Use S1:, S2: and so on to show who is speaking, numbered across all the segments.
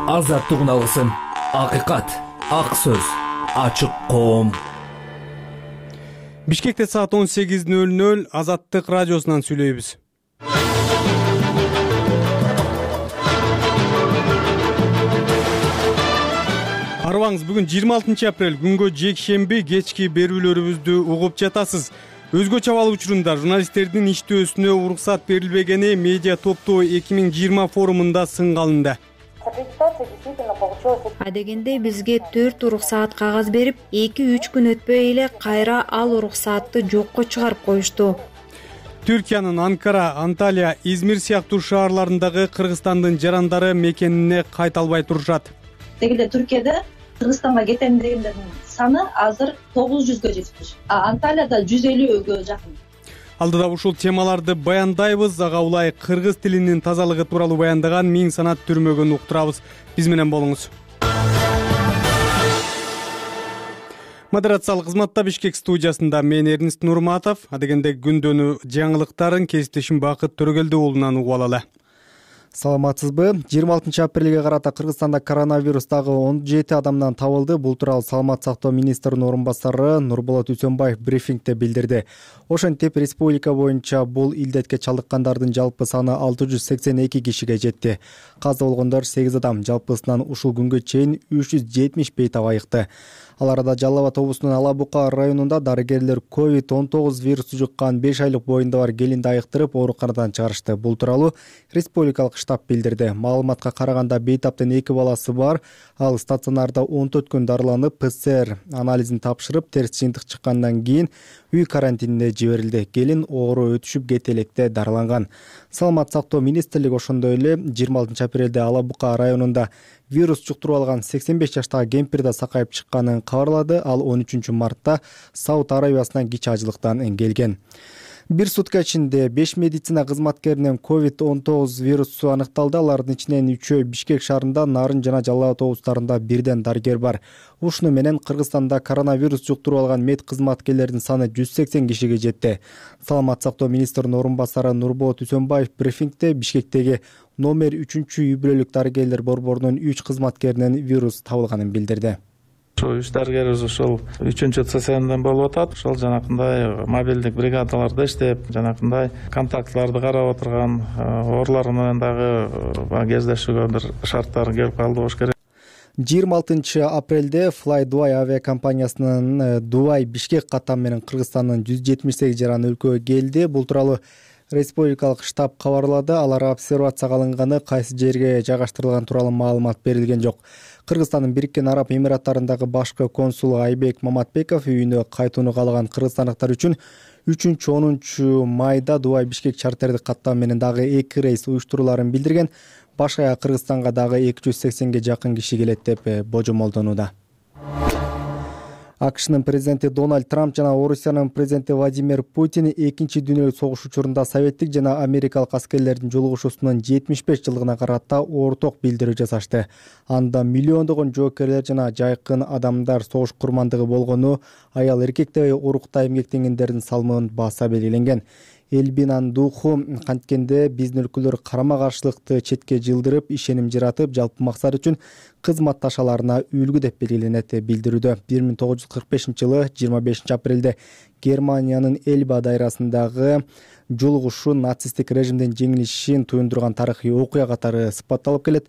S1: азаттык алгысың, акыйкат, ак сөз, ачык коом.
S2: Бишкекте саат 18:00 Азаттык радиосунан сүйлөйбүз. Арыбаңыз, бүгүн 26 апрель, күнгө жекшемби, кечки берүүлөрүбүздү угуп жатасыз. Өзгөчө абал учурунда журналисттердин иштөөсүнө уруксат берилбегени медиа топтоо 2020 форумунда сынга алынды.
S3: Адегенде бизге 4 уруксаат кагаз берип, 2-3 күн өтпөй эле кайра ал уруксаатты жокко чыгарып коюшту.
S2: Түркиянын Анкара, Анталия, Измир сыяктуу шаарларындагы Кыргызстандын жарандары мекенине кайта албай турушат.
S4: Тегиле Түркияда Кыргызстанга кетем дегендердин саны азыр 900гө жетиш. Анталияда 150гө жакын.
S2: Алдыда ушул темаларды баяндайбыз. Ага улай кыргыз тилинин тазалыгы тууралуу баяндаган Миң санат түрмөгөн уктурабыз. Биз менен болуңуз. Модерациялык кызматта Бишкек студиясында мен Эрнист Нурматов. Адегенде күндөнү жаңылыктарын кесиптешим Бакыт Төрөгелди уулунан угуп алалы.
S5: Саламатсызбы? 26 апрелге карата Кыргызстанда коронавирус дагы 17 адамдан табылды. Бул тууралуу Саламат сактоо министринин орун басары Нурболот Үсөнбаев брифингде билдирди. Ошентип, республика боюнча бул илдетке чалдыккандардын жалпы саны 682 кишиге жетти. Каза болгондор 8 адам, жалпысынан ушул күнгө чейин 370 бейтап айыкты. Ал арада Жалал Абад облусунун Ала Бука районунда дарыгерлер COVID-19 вирусу жуккан 5 айлык боюнда бар келинди айыктырып, ооруканадан чыгарышты. Бул тууралуу республикалык штаб билдирди. Маалыматка караганда бейтаптын 2 баласы бар. Ал стационарда 14 күн дарыланып, ПЦР анализин тапшырып, терс жыйынтык чыккандан кийин үй карантинине жиберилди. Келин оору өтүшүп кете электе дарыланган. Саламат сактоо министрлиги ошондой эле 26 апрелде Ала Бука районунда вирус жуктуруп алган 85 жаштагы кемпир да сакайып чыкканын кабарлады. Ал 13 мартта Сауд Арабиясынан кичи ажылыктан келген. Бир сутка ичинде 5 медицина кызматкеринен COVID-19 вирусу аныкталды. Алардын ичинен 3-өө Бишкек шаарында, Нарын жана Жалал Абад облустарында бирден дарыгер бар. Ушуну менен Кыргызстанда коронавирус жуктуруп алган мед кызматкерлеринин саны 180 кишиге жетти. Саламат сактоо министринин орун басары Нурболот Үсөнбаев брифингде Бишкектеги номер 3-үй бүлөлүк дарыгерлер борборунун 3 кызматкеринен вирус табылганын билдирди.
S6: Үч дарыгерибиз ушул 3-чү ЦСМден болуп атат. Ошол жанакындай мобилдик бригадаларда иштеп, жанакындай контактларды карап отурган, оорулар менен дагы кездешүүгө бир шарттар келип калды болуш керек.
S5: 26 апрелде Fly Dubai авиакомпаниясынын Дубай Бишкек катам менен Кыргызстандын 178 жаран өлкөгө келди. Бул тууралуу республикалык штаб кабарлады. Алар обсервацияга алынганы, кайсы жерге жайгаштырылган тууралуу маалымат берилген жок. Кыргызстандын Бириккен Араб Эмираттарындагы башкы консулу Айбек Маматбеков үйүнө кайтууну каалаган кыргызстандыктар үчүн 3-10 майда Дубай Бишкек чартердик каттам менен дагы 2 рейс уюштуруларын билдирген. Башка Кыргызстанга дагы 280ге жакын киши келет деп божомолдонууда. АКШнын президенти Дональд Трамп жана Орусиянын президенти Владимир Путин экинчи дүйнөлүк согуш учурунда советтик жана америкалык аскерлердин жолугушуусунун 75 жылдыгына карата орток билдирүү жасашты. Анда миллиондогон жоокерлер жана жайкын адамдар согуш курмандыгы болгону, аял эркектей урукта эмгектенгендердин салмын баса белгиленген. Элбинанын духу канткенде биздин өлкөлөр карама каршылыкты четке жылдырып, ишеним жаратып, жалпы максат үчүн кызматташаларына үлгү деп белгиленет билдирүүдө. 1945-жылы 25 апрелде Германиянын Эльба дайрасындагы жолугушуу нацисттик режимдин жеңилишин туюндурган тарыхый окуя катары сыпатталып келет.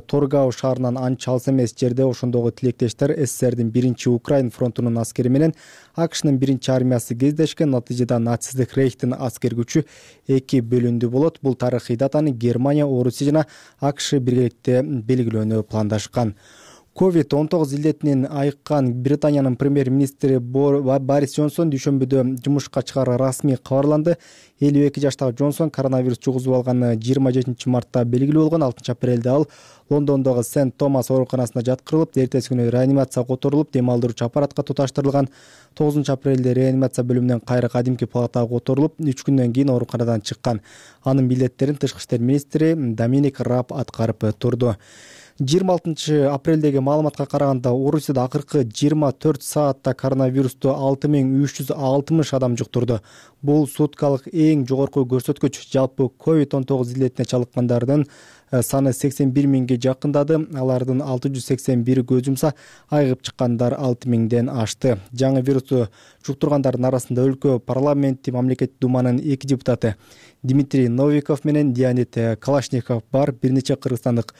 S5: Торгау шаарынан анча алыс эмес жерде ошондогу тилектештер СССРдин 1-Украин фронтунун аскери менен АКШнын 1-армиясы кездешкен. Натыйжада нацисттик рейхтин аскер күчү 2 бөлүндү болот. Бул тарыхый датаны Германия, Орусия жана АКШ биргеликте белгилөөнү пландашкан. COVID-19 илдетинен айыккан Британиянын премьер-министри Борис Джонсон дүйшөмбүдө жумушка чыгары расмий кабарланды. 52 жаштагы Джонсон коронавирус жугузуп алганы 27 мартта белгилүү болгон. 6 апрелде ал Лондондогу Сент Томас ооруканасына жаткырылып, эртеси күнү реанимацияга которулуп, дем алдыруучу аппаратка туташтырылган. 9 апрелде реанимация бөлүмүнөн кайра кадимки палатага которулуп, 3 күндөн кийин ооруканадан чыккан. Анын милдеттерин Тышкы иштер министри Доминик Раб аткарып турду. 26 апрелдеги маалыматка караганда Орусияда акыркы 24 саатта коронавирусту 6360 адам жуктурду. Бул суткалык эң жогорку көрсөткүч. Жалпы COVID-19 илдетине чалдыккандардын саны 81 миңге жакындады. Алардын 681 көз жумса, айыгып чыккандар 6 миңден ашты. Жаңы вирусту жуктургандардын арасында өлкө парламенти мамлекеттик думанын 2 депутаты Дмитрий Новиков менен Леонид Калашников бар. Бир нече кыргызстандык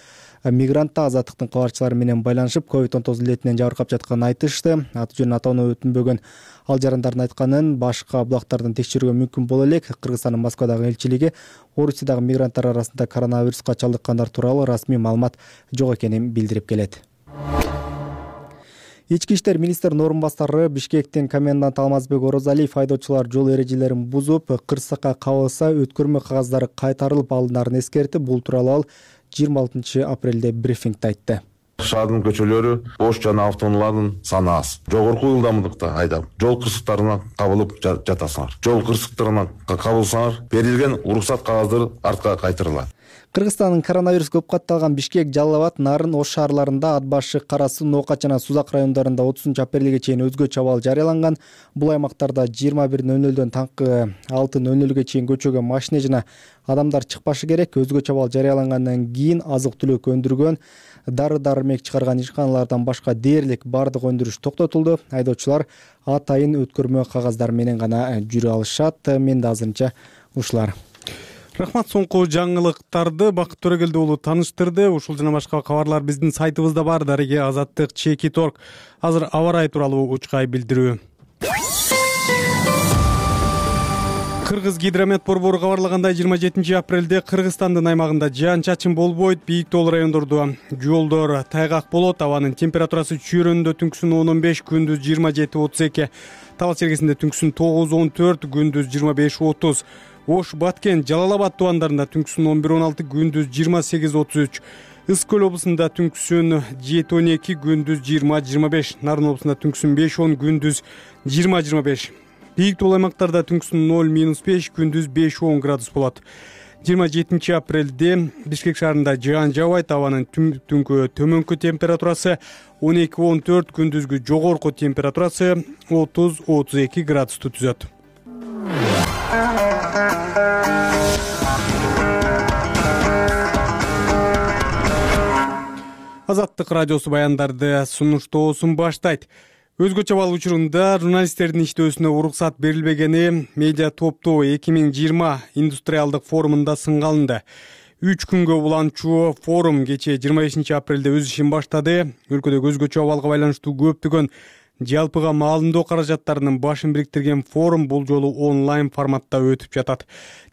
S5: мигрант азаттыктын кабарчылары менен байланышып, COVID-19 илетинен жабыркап жатканын айтышты. Аты жөнүн атоону өтүнбөгөн ал жарандардын айтканын башка булактардан текшерүүгө мүмкүн боло элек. Кыргызстандын Москвадагы элчилиги Орусиядагы мигранттар арасында коронавируска чалдыккандар тууралуу расмий маалымат жок экенин билдирип келет. Ички иштер министринин орун басары Бишкектин коменданты Алмазбек Орозалиев айдоочулар жол эрежелерин бузуп, кырсыкка кабылса өткөрмө кагаздары кайтарылып алынарын эскертип, бул тууралуу ал 26 апрелде брифингде айтты.
S7: Шаардын көчөлөрү бош жана автоунаалардын саны аз. Жогорку ылдамдыкта айдап, жол кырсыктарына кабылып жатасыңар. Жол кырсыктарына кабылсаңар, берилген уруксат кагаздары артка кайтарылат.
S5: Кыргызстандын коронавирус көп катталган Бишкек, Жалал Абад, Нарын, Ош шаарларында, Ат башы, Кара Суу, Ноокат жана Сузак райондарында 30 апрелге чейин өзгөчө абал жарыяланган. Бул аймактарда 21:00 таңкы 6:00 чейин көчөгө машина жана адамдар чыкпашы керек. Өзгөчө абал жарыялангандан кийин азык-түлүк өндүргөн, дары-дармек чыгарган ишканалардан башка дээрлик бардык өндүрүш токтотулду. Айдоочулар атайын өткөрмө кагаздар менен гана жүрө алышат. Мен да азырынча ушулар.
S2: Рахмат, соңку жаңылыктарды Бакыт Төрөгелди уулу тааныштырды. Ушул жана башка кабарлар биздин сайтыбызда бар. Дареге Азаттык @. Азыр аба ырайы тууралуу учкай билдирүү. Кыргыз гидромет борбору кабарлагандай 27 апрелде Кыргызстандын аймагында жаан-чачын болбойт. Бийик тоол райондордо жолдор тайгак болот. Абанын температурасы чүйрөндө түнкүсүн 10-15, күндүз 27-32. Табал чергесинде түнкүсүн 9-14, күндүз 25-30. Ош, Баткен, Жалал Абад тубандарында түнкүсүн 11-16, күндүз 28-33. Ыс көл облусунда түнкүсүн 7-12, күндүз 20-25. Нарын облусунда түнкүсүн 5-10, күндүз 20-25. Бийик тоол аймактарда түнкүсүн 0-5, күндүз 5-10 градус болот. 27 апрелде Бишкек шаарында жаан жаабайт. Абанын түнкү төмөнкү температурасы 12-14, күндүзгү жогорку температурасы 30-32 градусту түзөт. Азаттык радиосу баяндарды сунуштоосун баштайт. Өзгөчө абал учурунда журналисттердин иштөөсүнө уруксат берилбегени медиа топтоо 2020 индустриалдык форумунда сынга алынды. 3 күнгө уланчу форум кечээ 25 апрелде өз ишин баштады. Өлкөдөгү өзгөчө абалга байланыштуу көптөгөн жалпыга маалымдоо каражаттарынын башын бириктирген форум бул жолу онлайн форматта өтүп жатат.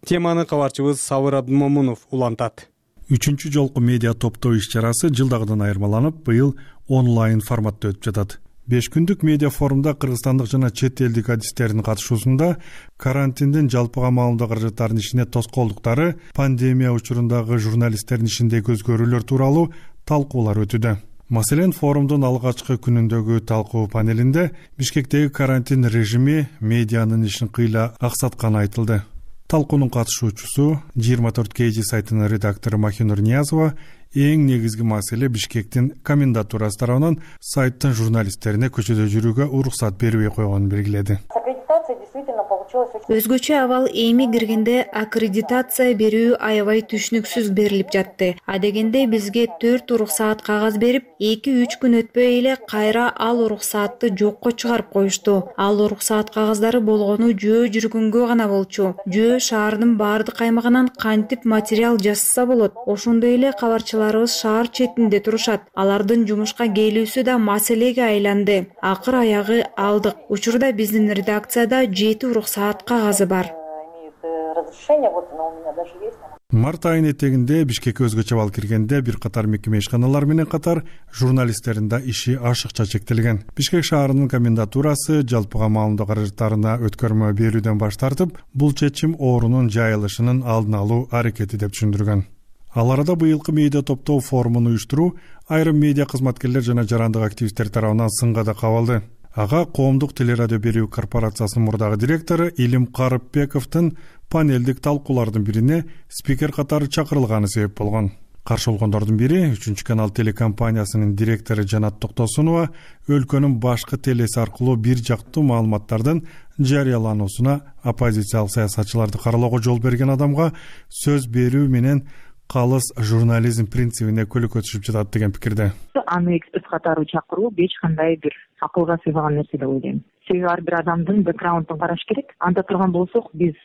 S2: Теманы кабарчыбыз Сабыр Абдымомунов улантат.
S8: 3-чү жолку медиа топтоо иш-чарасы жылдагыдан айырмаланып, быйыл онлайн форматта өтүп жатат. 5 күндүк медиа форумда кыргызстандык жана чет элдик адистердин катышуусунда карантиндин жалпыга маалымдоо каражаттарынын ишине тоскоолдуктары, пандемия учурундагы журналисттердин ишиндеги өзгөрүүлөр тууралуу талкуулар өтүүдө. Маселен, форумдун алгачкы күнүндөгү талкуу панелинде Бишкектеги карантин режими медианын ишин кыйла аксатканы айтылды. Талкуунун катышуучусу 24 KG сайтынын редактору Махинур Ниязова эң негизги маселе Бишкектин комендатурасы тарабынан сайттын журналисттерине көчөдө жүрүүгө уруксат бербей койгонун белгиледи.
S3: Өзгөчө абал эми киргенде аккредитация берүү аябай түшүнүксүз берилип жатты. Адегенде бизге 4 уруксаат кагаз берип, 2-3 күн өтпөй эле кайра ал уруксаатты жокко чыгарып коюшту. Ал уруксаат кагаздары болгону жөө жүргөнгө гана болчу. Жөө шаардын баардык аймагынан кантип материал жазса болот. Ошондой эле кабарчыларыбыз шаар четинде турушат. Алардын жумушка келүүсү да маселеге айланды. Акыр аягы алдык. Учурда биздин редакцияда 7 уруксаат кагазы бар.
S8: Март айынын этегинде Бишкекке өзгөчө абал киргенде бир катар мекеме ишканалар менен катар журналисттердин да иши ашыкча чектелген. Бишкек шаарынын комендатурасы жалпыга маалымдоо каражаттарына өткөрмө берүүдөн баш тартып, бул чечим оорунун жайылышынын алдын алуу аракети деп түшүндүргөн. Ал арада быйылкы медиа топтоо форумун уюштуруу айрым медиа кызматкерлер жана жарандык активисттер тарабынан сынга да кабылды. Ага коомдук телерадио берүү корпорациясынын мурдагы директору Илим Карыпбековдун панелдик талкуулардын бирине спикер катары чакырылганы себеп болгон. Каршы болгондордун бири 3 канал телекомпаниясынын директору Жанат Токтосунова өлкөнүн башкы телеси аркылуу бир жактуу маалыматтардын жарыялануусуна оппозициялык саясатчыларды каралоого жол берген адамга сөз берүү менен калыс журнализм принцибине көлөкө түшүп жатат деген пикирде.
S9: Аны эксперт катары чакыруу эч кандай бир акылга сыйбаган нерсе деп ойлойм. Себеби ар бир адамдын бэкграундун караш керек. Анда турган болсок, биз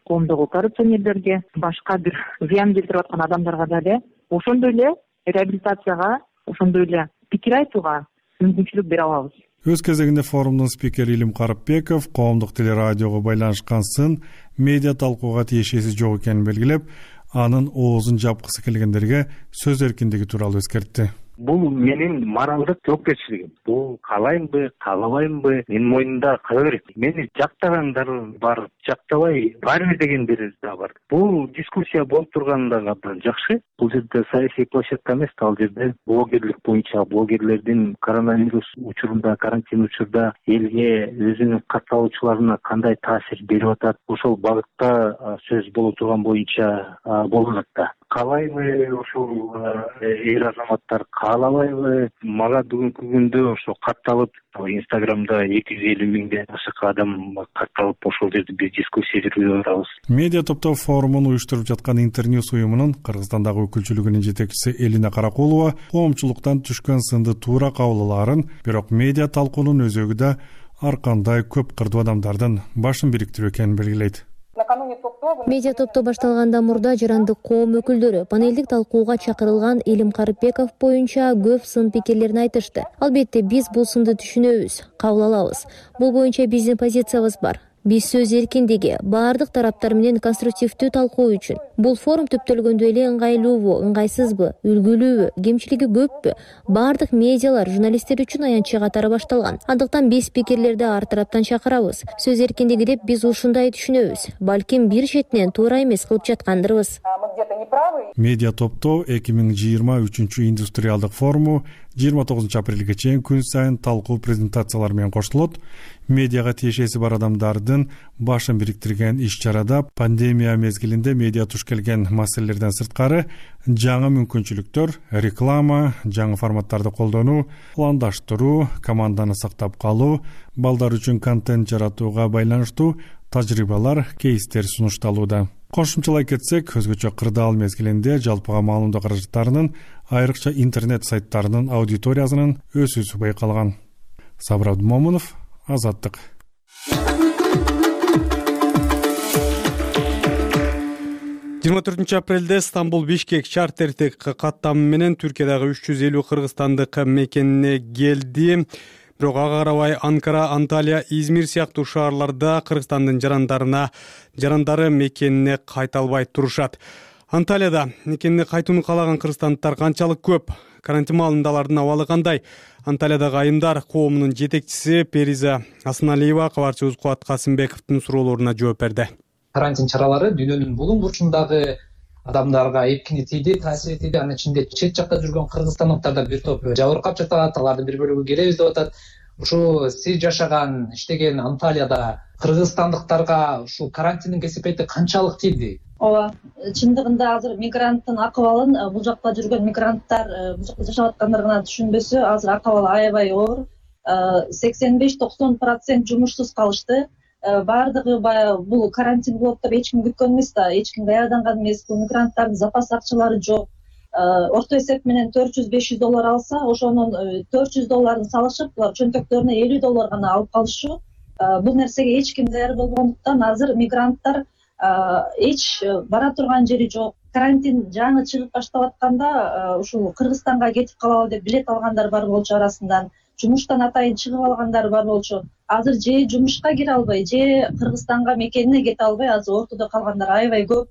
S9: коомдогу коррупционерлерге, башка бир зыян келтирип аткан адамдарга дагы ошондой эле реабилитацияга, ошондой эле пикир айтууга мүмкүнчүлүк бере алабыз.
S8: Өз кезегинде форумдун спикери Илим Карыпбеков коомдук телерадиого байланышкан сын медиа талкууга тиешеси жок экенин белгилеп, анын оозун жапкысы келгендерге сөз эркиндиги тууралуу эскертти.
S10: Бул менин моралдык жоопкерчилигим. Бул каалаймбы, каалабаймбы, менин мойнумда кала берет. Мени жактагандар бар, жактабай баары дегендер да бар. Бул дискуссия болуп турганы абдан жакшы. Бул жерде саясий площадка эмес, ал жерде блогерлик боюнча блогерлердин коронавирус учурунда, карантин учурда элге өзүнүн катталуучуларына кандай таасир берип атат, ошол багытта сөз боло турган боюнча болуп атат. Каалайбы ошол эр азаматтар, каалабайбы? Мага бүгүнкү күндө ошо катталып, Инстаграмда 250 миңден ашык адам катталып, ошол жерде биз дискуссия жүргүзүп атабыз.
S8: Медиа топтоо форумун уюштуруп жаткан Интерньюс уюмунун Кыргызстандагы өкүлчүлүгүнүн жетекчиси Элина Каракулова коомчулуктан түшкөн сынды туура кабыл алаарын, бирок медиа талкуунун өзөгү да ар кандай көп кырдуу адамдардын башын бириктирүү экенин белгилейт.
S11: Медиа топтоо башталгандан мурда жарандык коом өкүлдөрү панелдик талкууга чакырылган Илим Карыпбеков боюнча көп сын пикирлерин айтышты. Албетте биз бул сынды түшүнөбүз, кабыл алабыз. Бул боюнча биздин позициябыз бар. Биз сөз эркиндиги, баардык тараптар менен конструктивдүү талкуу үчүн. Бул форум түптөлгөндө эле ыңгайлуубу, ыңгайсызбы, үлгүлүүбү, кемчилиги көппү? Баардык медиалар журналисттер үчүн аянтчы катары башталган. Андыктан биз пикирлерди ар тараптан чакырабыз. Сөз эркиндиги деп биз ушундай түшүнөбүз. Балким бир четинен туура эмес кылып жаткандырбыз.
S8: Медиа топтоо 2023 индустриалдык форуму 29 апрелге чейин күн сайын талкуу презентациялар менен коштолот. Медиага тиешеси бар адамдардын башын бириктирген иш-чарада пандемия мезгилинде медиа туш келген маселелерден сырткары жаңы мүмкүнчүлүктөр, реклама, жаңы форматтарды колдонуу, пландаштыруу, команданы сактап калуу, балдар үчүн контент жаратууга байланыштуу тажрыйбалар, кейстер сунушталууда. Кошумчалай кетсек, өзгөчө кырдаал мезгилинде жалпыга маалымдоо каражаттарынын, айрыкча интернет сайттарынын аудиториясынын өсүүсү байкалган. Сабыр Абдумомунов, Азаттык.
S2: Апрелде Стамбул-Бишкек чартердик каттамы менен Түркиядагы 350 кыргызстандык мекенине келди. Бирок ага карабай Анкара, Анталия, Измир сыяктуу шаарларда Кыргызстандын жарандары мекенине кайта албай турушат. Анталияда мекенине кайтууну каалаган кыргызстандыктар канчалык көп? Карантин маалында алардын абалы кандай? Анталиядагы айымдар коомунун жетекчиси Периза Асыналиева кабарчыбыз Кубат Касымбековдун суроолоруна жооп берди.
S12: Карантин чаралары дүйнөнүн булуң бурчундагы адамдарга эпкини тийди, таасир этти. Анын ичинде чет жакта жүргөн кыргызстандыктар да бир топ жабыркап жатат, алардын бир бөлүгү келебиз деп атат. Ушу сиз жашаган, иштеген Анталияда кыргызстандыктарга ушул карантиндин кесепети канчалык тийди?
S4: Ооба, чындыгында азыр мигранттын акыбалын бул жакта жүргөн мигранттар, бул жакта жашап аткандар гана түшүнбөсө, азыр акыбалы аябай оор. 85-90% жумушсуз калышты. Баардыгы бул карантин болот деп эч ким күткөн эмес да, эч ким даярданган эмес. Бул мигранттардын запас акчалары жок. Орто эсеп менен $400-500 алса, ошонун $400 салышып, булар чөнтөктөрүнө $50 гана алып калышы. Бул нерсеге эч ким даяр болбогондуктан азыр мигранттар эч бара турган жери жок. Карантин жаңы чыгып баштап атканда ушул Кыргызстанга кетип калалы деп билет алгандар бар болчу арасынан. Жумуштан атайын чыгып алгандар бар болчу. Азыр же жумушка кире албай, же Кыргызстанга мекенине кете албай, азыр ортодо калгандар аябай көп.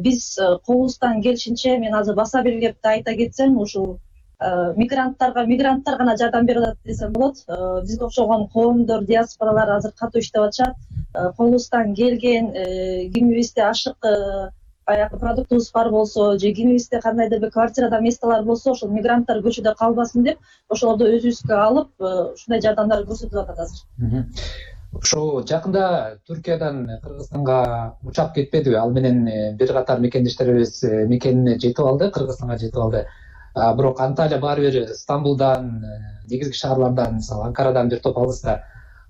S4: Биз колубуздан келишинче, мен азыр баса белгилеп айта кетсем, ушул мигранттар гана жардам берип атат десем болот. Бизге окшогон коомдор, диаспоралар азыр катуу иштеп атышат. Колубуздан келген кимибизде ашык баягы продуктубуз бар болсо, же кимибизде кандайдыр бир квартирада месталар болсо, ошол мигранттар көчөдө калбасын деп, ошолорду өзүбүзгө алып, ушундай жардамдар көрсөтүп атат азыр.
S12: Ошо жакында Түркиядан Кыргызстанга учак кетпедиби? Ал менен бир катар мекендештерибиз мекенине жетип алды, Кыргызстанга жетип алды. Бирок Анталия баары бир Стамбулдан, негизги шаарлардан, мисалы Анкарадан бир топ алыста.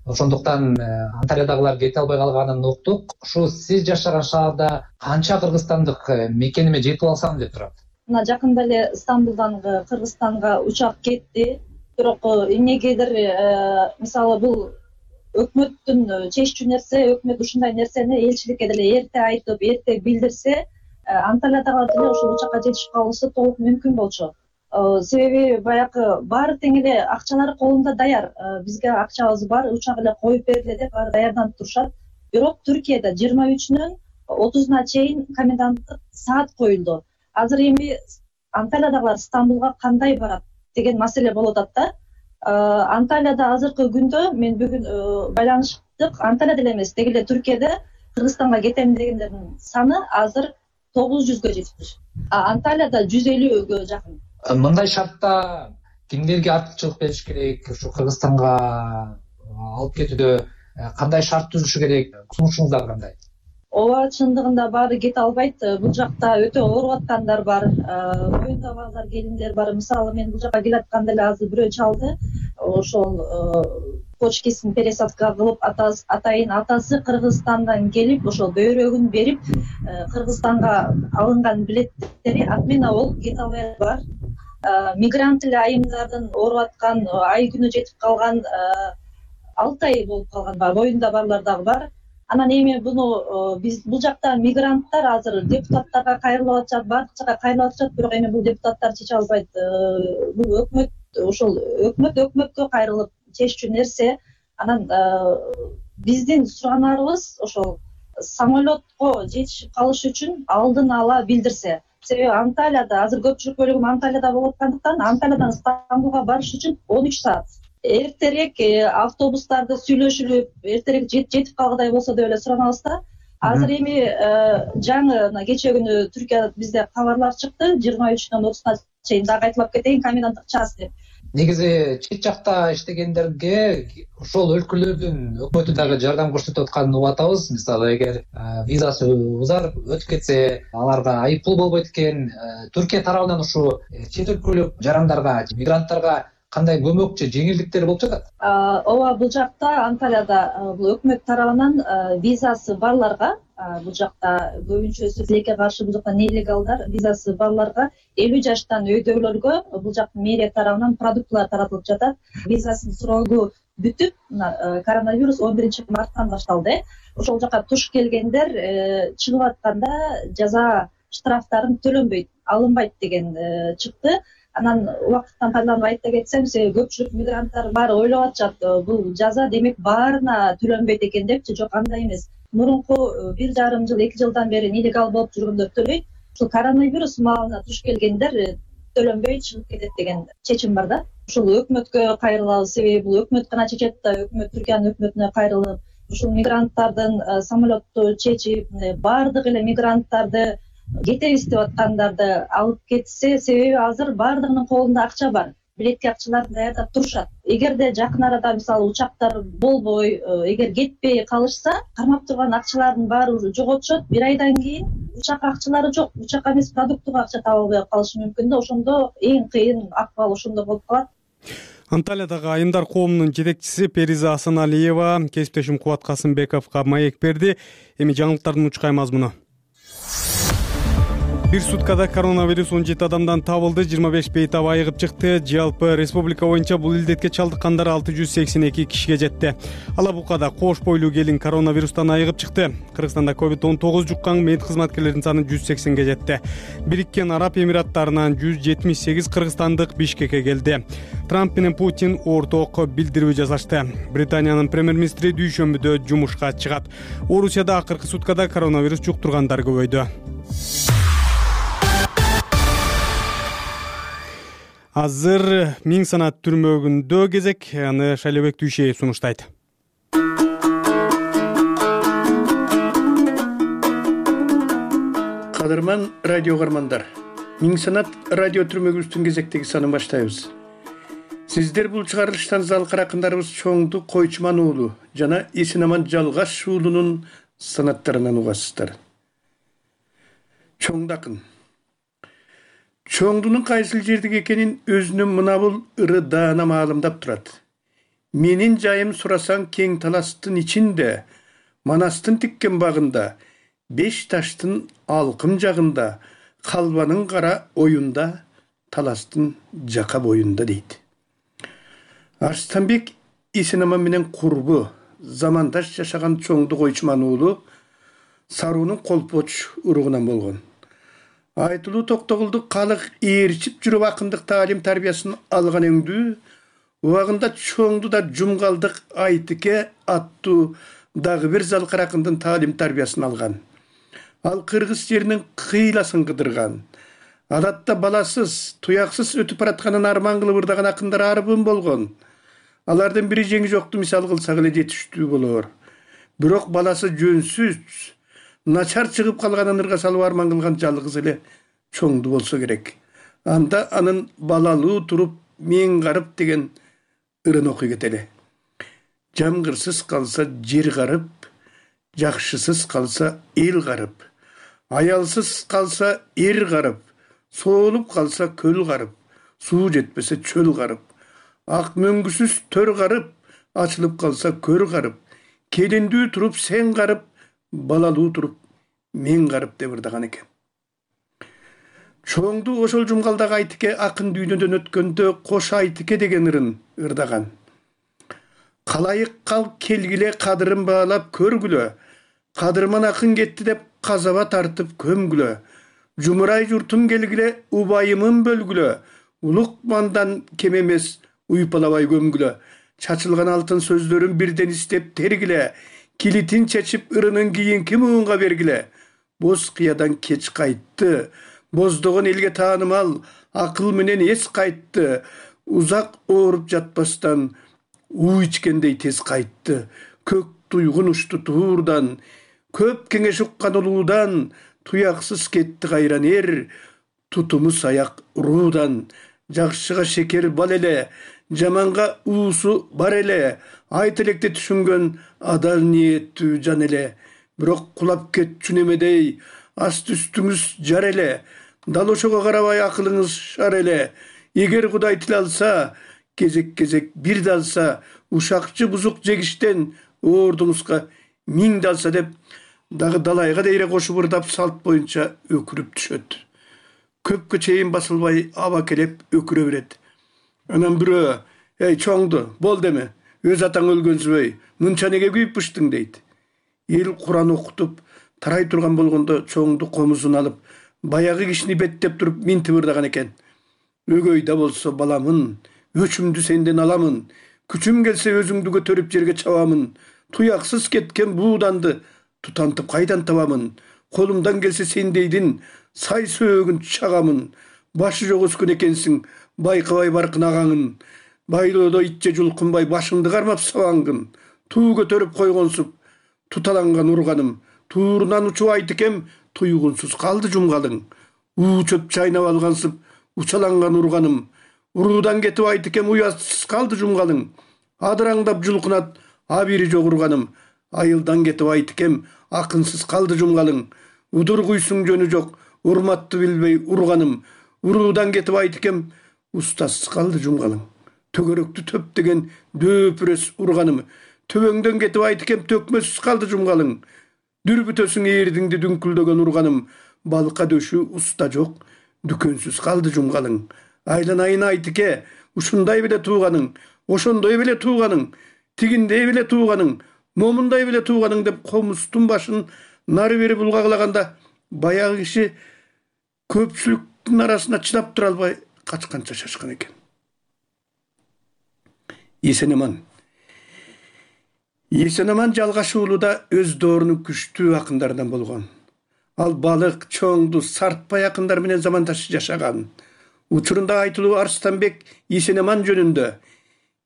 S12: ошондуктан Анталиядагылар кете албай калганын уктук. Ушу сиз жашаган шаарда канча кыргызстандык мекениме жетип алсам деп турат?
S4: Мына жакында эле Стамбулдан Кыргызстанга учак кетти. Бирок эмнегедир мисалы бул өкмөттүн чеччү нерсе, өкмөт ушундай нерсени элчиликке деле эрте айтып, эрте билдирсе, Анталиядагылар деле ошол учакка жетишип калышы толук мүмкүн болчу. Себеби баягы баары тең эле акчалары колунда даяр. Бизге акчабыз бар, учак эле коюп бергиле деп баары даярданып турушат. Бирок Түркияда 23-нөн 30-на чейин коменданттык саат коюлду. Азыр эми Анталиядагылар Стамбулга кандай барат деген маселе болуп атат да. Анталияда азыркы күндө мен бүгүн байланыштык. Анталияда эле эмес, деги эле Түркияда Кыргызстанга кетем дегендердин саны азыр 900гө жетиптир. Анталияда 150гө жакын.
S12: Мындай шартта кимдерге артыкчылык бериш керек? Ушу Кыргызстанга алып кетүүдө кандай шарт түзүлүшү керек? Сунушуңуздар кандай?
S4: Ооба, чындыгында баары кете албайт. Бул жакта өтө ооруп аткандар бар, моюнда базар келиндер бар. Мисалы мен бул жакка келатканда эле азыр бирөө чалды. Ошол почкесин пересадка кылып, атайын атасы Кыргызстандан келип, ошол бөйрөгүн берип, Кыргызстанга алынган билеттери отмена болуп кете албай бар. Мигрант эле айымдардын ооруп аткан, ай күнү жетип калган, 6 ай болуп калган бар, моюнда барлар дагы бар. Анан эми буну биз бул жакта мигранттар азыр депутаттарга кайрылып атышат, бардык жака кайрылып атышат, бирок эми бул депутаттар чече албайт. Бул өкмөт, ошол өкмөткө кайрылып чеччү нерсе. Анан биздин суранарыбыз ошол самолетко жетишип калыш үчүн алдын ала билдирсе. Себеби Анталияда азыр көпчүлүк бөлүгү Анталияда болуп аткандыктан Анталиядан Стамбулга барыш үчүн 13 саат. Эртерээк автобустарды сүйлөшүлүп, эртерээк жетип калгыдай болсо деп эле суранабыз да. Азыр эми жаңы кече күнү Түркияда бизде кабарлар чыкты, 23-дөн 30-на чейин дагы айтылып кетейин, коменданттык час деп.
S12: Негизи чет жакта иштегендерге ошол өлкөлөрдүн өкмөтү дагы жардам көрсөтүп атканын угуп атабыз. Мисалы, эгер визасы өтүп кетсе, аларга айыппул болбойт экен. Түркия тарабынан ушу чет өлкөлүк жарандарга, мигранттарга кандай көмөк же жеңилдиктер болуп жатат?
S4: Ооба, бул жакта Анталияда бул өкмөт тарабынан визасы барларга, бул жакта көбүнчөсү тилекке каршы бул жакта нелегалдар, визасы барларга 50 жаштан өйдөгөлөргө бул жактын мэрия тарабынан продуктылар таратылып жатат. Визасын срогу бүтүп, коронавирус 11-марттан башталды. Ошол жака туш келгендер чыгып атканда жаза штрафтарын төлөнбөйт, алынбайт деген чыкты. Анан убакыттан пайдаланып айта кетсем, себеби көпчүлүк мигранттар баары ойлоп атышат, бул жаза демек баарына төлөнбөйт экен депчи. Жок, андай эмес. Мурунку 1,5 жыл, 2 жылдан бери нелегал болуп жүргөндөр төлөйт. Ушул коронавирус маалына туш келгендер төлөнбөй чыгып кетет деген чечим бар да. Ушул өкмөткө кайрылабыз, себеби бул өкмөт гана чечет да, өкмөт Түркиянын өкмөтүнө кайрылып, ушул мигранттардын самолетту чечип, баардык эле мигранттарды кетебиз деп аткандарды алып кетсе, себеби азыр баардыгынын колунда акча бар. Билетке акчаларды даярдап турушат. Эгерде жакын арада мисалы учактар болбой, эгер кетпей калышса, кармап турган акчалардын баары уже жоготушат. 1 айдан кийин учак акчалары жок, учакка эмес продуктуга акча таба албай калышы мүмкүн да. Ошондо эң кыйын акыбал ошондо болуп калат.
S2: Анталиядагы айымдар коомунун жетекчиси Периза Асаналиева кесиптешим Кубат Касымбековго маек берди. Эми жаңылыктардын учкай мазмуну. Бир суткада коронавирус 17 адамдан табылды, 25 бейтап айыгып чыкты. Жалпы республика боюнча бул илдетке чалдыккандар 682 кишиге жетти. Алабукада кош бойлуу келин коронавирустан айыгып чыкты. Кыргызстанда COVID-19 жуккан мед кызматкерлеринин саны 180ге жетти. Бириккен Араб Эмираттарынан 178 кыргызстандык Бишкекке келди. Трамп менен Путин орток билдирүү жасашты. Британиянын премьер-министри дүйшөмбүдө жумушка чыгат. Орусияда акыркы суткада коронавирус жуктургандар көбөйдү. Азыр Миң санат түрмөгүндө кезек, аны Шайлебек Дүйшеев сунуштайт.
S13: Кадырман радио кармандар, Миң санат радио түрмөгүбүздүн кезектеги санын баштайбыз. Сиздер бул чыгарылыштан залкар акындарыбыз Чоңду Койчуман уулу жана Эсенаман Жалгаш уулунун санаттарынан угасыздар. Чоңду акын. Чоңдунун кайсыл жердеги экенин өзүнүн мына бул ыры даана маалымдап турат. Менин жайым сурасаң кең таластын ичинде, Манастын тиккен багында, Беш таштын алкым жагында, Калбанын кара оюнда, Таластын жака боюнда дейт. Арстанбек Эсенаман менен курбу, замандаш жашаган чоңду Койчуман уулу Саруунун колпоч уругунан болгон. Айтылуу Токтогулду калык ээрчип жүрүп акындык таалим тарбиясын алган өңдүү, убагында чоңду да Жумгалдык Айтыке аттуу дагы бир Залкаракындын таалим тарбиясын алган. Ал кыргыз жеринин кыйласын кыдырган. Адатта баласыз, туяксыз өтүп баратканын арман кылып ырдаган акындар арбын болгон. Алардын бири жеңи жокту мисал кылсак эле жетиштүү болор. Бирок баласы жөнсүз, начар чыгып калганын ырга салып арман кылган жалгыз эле чоңду болсо керек. Анда анын балалуу туруп мен карып деген ырын окуй кетели. Жамгырсыз калса жер карып, жакшысыз калса эл карып, аялсыз калса эр карып, соолуп калса көл карып, суу жетпесе чөл карып, ак мөңгүсүз төр карып, ачылып калса көр карып, келиндүү туруп сен карып, балалуу туруп мен карып деп ырдаган экен. Чоңду ошол Жумгалдагы Айтыке акын дүйнөдөн өткөндө Кош Айтыке деген ырын ырдаган. Калайык кал келгиле кадырын баалап көргүлө, кадырман акын кетти деп казаба тартып көмгүлө, жумурай журтум келгиле убайымын бөлгүлө, улукмандан кем эмес уйпалабай көмгүлө, чачылган алтын сөздөрүн бирден истеп тергиле, килитин чечип ырынын кийинки муунга бергиле, боз кыядан кеч кайтты, боздогон элге таанымал акыл менен эс кайтты, узак ооруп жатпастан уу ичкендей тез кайтты, көк туйгун ушту туурдан, көп кеңеш уккан улуудан, туяксыз кетти кайран эр, тутуму саяк руудан, жакшыга шекер бал эле, жаманга уусу бар эле, айт электе түшүнгөн адал ниеттүү жан эле, бирок кулап кетчү немедей, аст үстүңүз жар эле, дал ошого карабай акылыңыз шар эле, эгер Кудай тил алса, кезек-кезек бир далса, ушакчы бузук жегиштен оордуңузга миң далса деп, дагы далайга дейре кошуп ырдап салт боюнча өкүрүп түшөт. Көпкө чейин басылбай аба келеп өкүрө берет. Анан бирөө, эй чоңду, бол деме, өз атаң өлгөнсүбөй, мынча неге күйүп пыштың дейт. Эл Куран окутуп, тарай турган болгондо чоңду комузун алып, баягы кишини беттеп туруп минтип ырдаган экен. Өгөй да болсо баламын, өчүмдү сенден аламын, күчүм келсе өзүңдү көтөрүп жерге чабамын, туяксыз кеткен бууданды тутантып кайдан табамын, колумдан келсе сендейдин сай сөөгүн чагамын, башы жок өскөн экенсиң, байкабай баркын агаңын, байлоодо итче жулкунбай башыңды кармап сабаңгын, туу көтөрүп койгонсуп, туталанган урганым, туурунан учуп Айтыкем, туйгунсуз калды жумгалың, уу чөп чайнап алгансып, учаланган урганым, уруудан кетип Айтыкем уятсыз калды жумгалың, адыраңдап жулкунат, абири жок урганым, айылдан кетип Айтыкем, акынсыз калды жумгалың, удур куйсуң жөнү жок, урматты билбей урганым, уруудан кетип Айтыкем, устасыз калды жумгалың, төгөрөктү төп деген дөпүрөс урганым, төбөңдөн кетип Айтыкем, төкмөсүз калды жумгалың, дүрбүтөсүң эрдиңди дүңкүлдөгөн урганым, балка дөшү уста жок, дүкөнсүз калды жумгалың, айланайын Айтыке, ушундай беле тууганың, ошондой беле тууганың, тигиндей беле тууганың, момундай беле тууганың деп комузтун башын нары бери булгаклаганда, баягы киши көпчүлүктүн арасына чыдап тура албай качканча шашкан экен. Эсенаман Жалгаш уулу да өз доорунун күчтүү акындарынан болгон. Ал балык, чоңду, сартпай акындар менен замандаш жашаган. Учурунда айтылуу Арстанбек Эсенаман жөнүндө.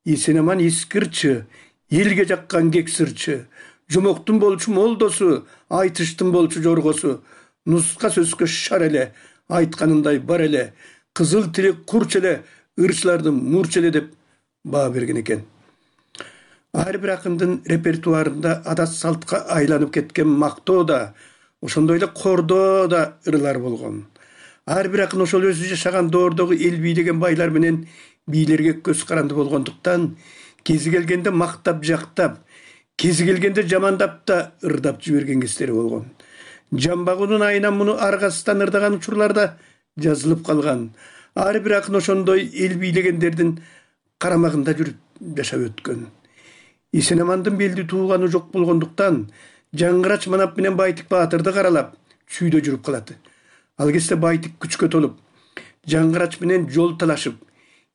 S13: Эсенаман искирчи, элге жаккан кексирчи, жумоктун болчу молдосу, айтыштын болчу жоргосу, нуска сөзгө шар эле, айтканындай бар эле, кызыл тили курч эле, ырчылардын мурч эле деп баа берген экен. Ар бир акындын репертуарында адат салтка айланып кеткен мактоо да, ошондой эле кордоо да ырылар болгон. Ар бир акын ошол өзү жашаган доордогу эл бийлеген байлар менен бийлерге көз каранды болгондуктан, кези келгенде мактап жактап, кези келгенде жамандап да ырдап жиберген кездери болгон. Жамбагунун айынан муну аргасынан ырдаган учурларда жазылып калган. Ар бир акын ошондой эл бийлегендердин карамагында жүрүп жашап өткөн. Исенамандын белди тууганы жок болгондуктан Жаңгырач Манап менен Байтик Баатырды каралап чүйдө жүрүп калат. Ал кезде Байтик күчкө толуп, Жаңгырач менен жол талашып,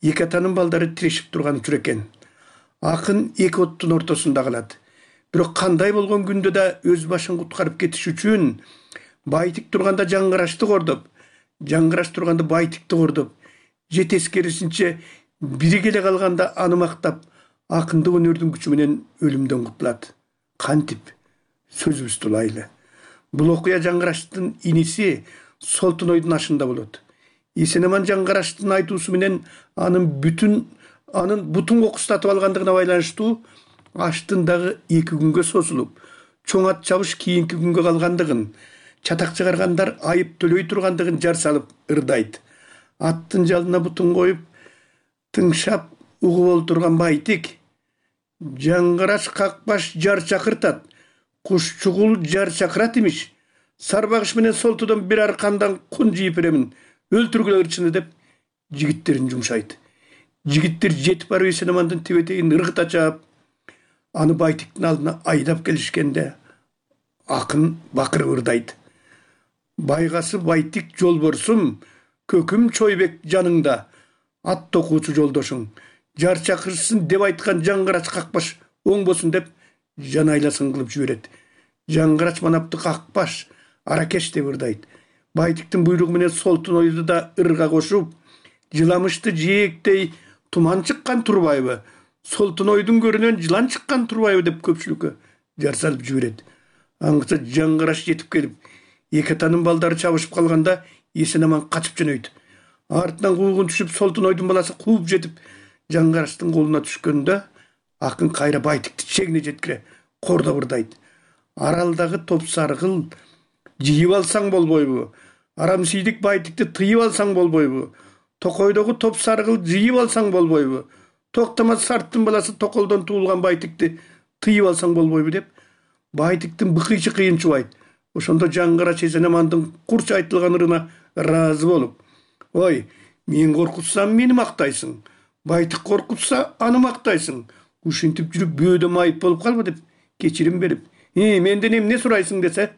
S13: эки атанын балдары тирешип турган учур экен. Акын эки оттун ортосунда калат. Бирок кандай болгон күндө да өз башын куткарып кетиш үчүн Байтик турганда Жаңгырачты кордоп, Жаңгырач турганда Байтикти кордоп, же тескерисинче бири келе калганда аны мактап, акындык өнөрдүн күчү менен өлүмдөн кутулат. Кантип сөзүбүздү улайлы. Бул окуя Жаңгырачтын иниси Солтунойдун ашында болот. Исенаман Жаңгырачтын айтуусу менен анын бутун кокустатып алгандыгына байланыштуу аштын дагы 2 күнгө созулуп, чоң ат чабыш кийинки күнгө калгандыгын, чатак чыгаргандар айып төлөй тургандыгын жар салып ырдайт. Аттын жалына бутун коюп, тыңшап угуп олтурган Байтик Жаңгырач какпаш жар чакыртат, куш чугул жар чакырат имиш. Сарбагыш менен Солтудон бир аркандан кун жийип беремин, өлтүргүлө ырчыны деп жигиттерин жумшайт. Жигиттер жетип барып Исенамандын тебетегин ыргыта чаап, аны Байтиктин алдына айдап келишкенде акын бакырып ырдайт. Байгасы Байтик жолборсум, көкүм Чойбек жаныңда, ат токуучу жолдошуң, жар чакырсын деп айткан Жаңгырач какпаш оңбосун деп жан айласын кылып жиберет. Жаңгырач Манапты какпаш, аракеш деп ырдайт. Байтиктин буйругу менен Солтунойду да ырга кошуп, жыламышты жээктей туман чыккан турбайбы, Солтунойдун көрүнөн жылан чыккан турбайбы деп көпчүлүккө жар салып жиберет. Аңгыча Жаңгырач жетип келип, эки атанын балдары чабышып калганда Исенаман качып жөнөйт. Артынан куугун түшүп, Солтунойдун баласы кууп жетип Жаңгырачтын колуна түшкөндө акын кайра Байтикти чегине жеткире кордоп ырдайт. Аралдагы топсаргыл жыйып алсаң болбойбу? Арамсийдик Байтикти тыйып алсаң болбойбу? Токойдогу топсаргыл жыйып алсаң болбойбу? Токтомас Сарттын баласы Токолдон туулган Байтикти тыйып алсаң болбойбу деп Байтиктин быкыйчы кыйын чубайт. Ошондо Жаңгырач Исенамандын курч айтылган ырына ыраазы болуп, ой, мен коркутсам мени мактайсың, Байтик коркутса аны мактайсың, ушинтип жүрүп бөөдө майып болуп калба деп кечирим берип, менден эмне сурайсың десе,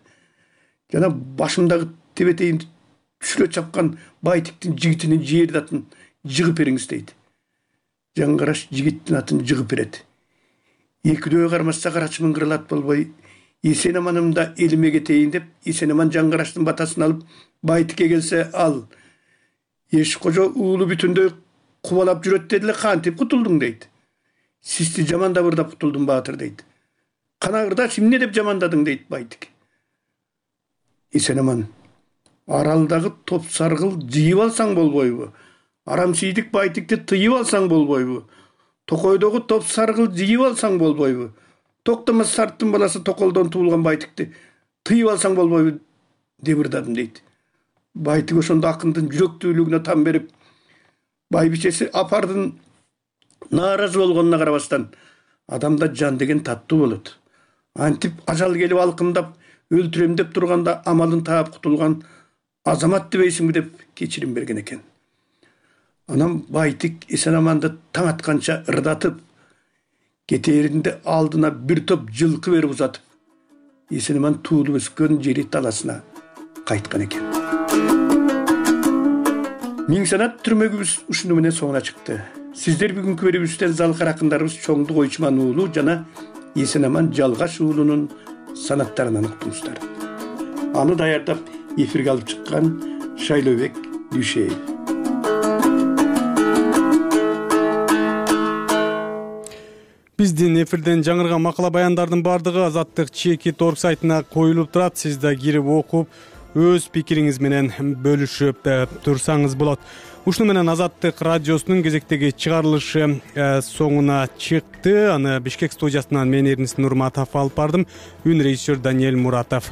S13: жана башымдагы тебетейимди түшүрө чапкан Байтиктин жигитинин жерди атын жыгып бериңиз дейт. Жаңгырач жигиттин атын жыгып берет. Экидөө кармашса карачы мыңгыралат болбой, Исенаманымда элиме кетейин деп Исенаман Жаңгырачтын батасын алып Байтикке келсе, ал Эш кожо уулу бүтүндөй кубалап жүрөт дедиле, кантип кутулдуң дейт. Сизди жамандап ырдап кутулдум Баатыр дейт. Кана ырдач, эмне деп жамандадың дейт Байтик. Исенаман, аралдагы топсаргыл жыйып алсаң болбойбу? Арамсийдик Байтикти тыйып алсаң болбойбу? Токойдогу топсаргыл жыйып алсаң болбойбу? Токтомас Сарттын баласы Токолдон туулган Байтикти тыйып алсаң болбойбу деп ырдадым дейт. Байтик ошондо акындын жүрөктүүлүгүнө там берип, байбичеси апардын нааразы болгонуна карабастан, адамда жан деген таттуу болот. Антип ажал келип алкындап өлтүрөм деп турганда амалын таап кутулган азамат дебейсиңби деп кечирим берген экен. Анан Байтик Исенаманды таң атканча ырдатып, кетээринде алдына бир топ жылкы берип узатып, Исенаман туулуп өскөн жери таласына кайткан экен. Миң санат түрмөгүбүз ушуну менен соңуна чыкты. Сиздер бүгүнкү берүүбүздөн залкар акындарыбыз Чоңдук Ойчуман уулу жана Исенаман Жалгаш уулунун санаттарынан уктуңуздар. Аны даярдап эфирге алып чыккан Шайлообек Дүйшеев.
S2: Биздин эфирден жаңырган макала баяндардын бардыгы Азаттык Чекит.org сайтына коюлуп турат. Сиз да кирип окуп, өз пикириңиз менен бөлүшүп турсаңыз болот. Ушуну менен Азаттык радиосунун кезектеги чыгарылышы соңуна чыкты. Аны Бишкек студиясынан мен Эрнис Нурматов алып бардым. Үн режиссер Даниэль Муратов.